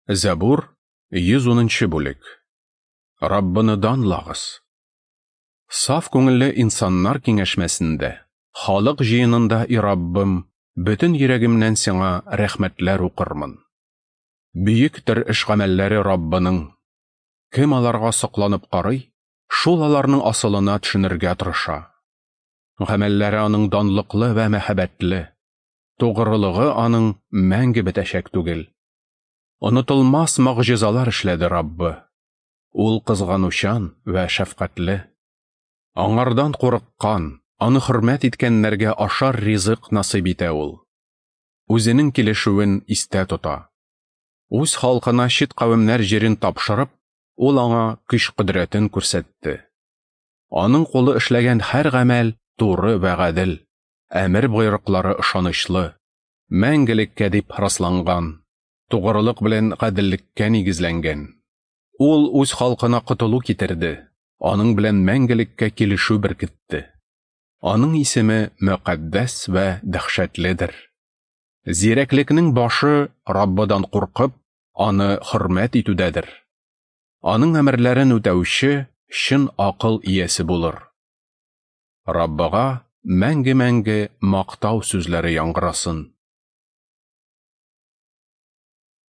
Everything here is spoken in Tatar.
Зәбур, 110 нчы бүлек. Раббыны данлагыз! Саф күңелле инсаннар киңәшмәсендә, халык җыенында, и Раббым, бөтен йөрәгемнән сиңа рәхмәтләр укырмын. Бөектер эш-гамәлләре Раббының. Кем аларга сокланып карый, шул аларның асылына төшенергә тырыша. Гамәлләре аның данлыклы вә мәһабәтле. Тугрылыгы аның мәңге бетәчәк түгел. Онытылмас могҗизалар эшләде Раббы. Ул кызганучан вә шәфкатьле. Аңардан курыккан, аны хөрмәт иткәннәргә ашар ризык насыйп итә ул. Үзенең килешүен истә тота. Үз халкына чит кавемнәр җирен тапшырып, ул аңа көч-кодрәтен күрсәтте. Аның кулы эшләгән һәр гамәл туры вә гадел, әмер-боерыклары ышанычлы, мәңгелеккә дип расланган, тугрылык белән гаделлеккә нигезләнгән. Ул үз халкына котылу китерде, аның белән мәңгелеккә килешү беркетте. Аның исеме мөкатдәс вә дәһшәтледер. Зирәклекнең башы Раббыдан куркып, аны хөрмәт итүдәдер. Аның әмерләрен үтәүче чын акыл иясе булыр. Раббыга мәңге-мәңге мактау сүзләре яңгырасын.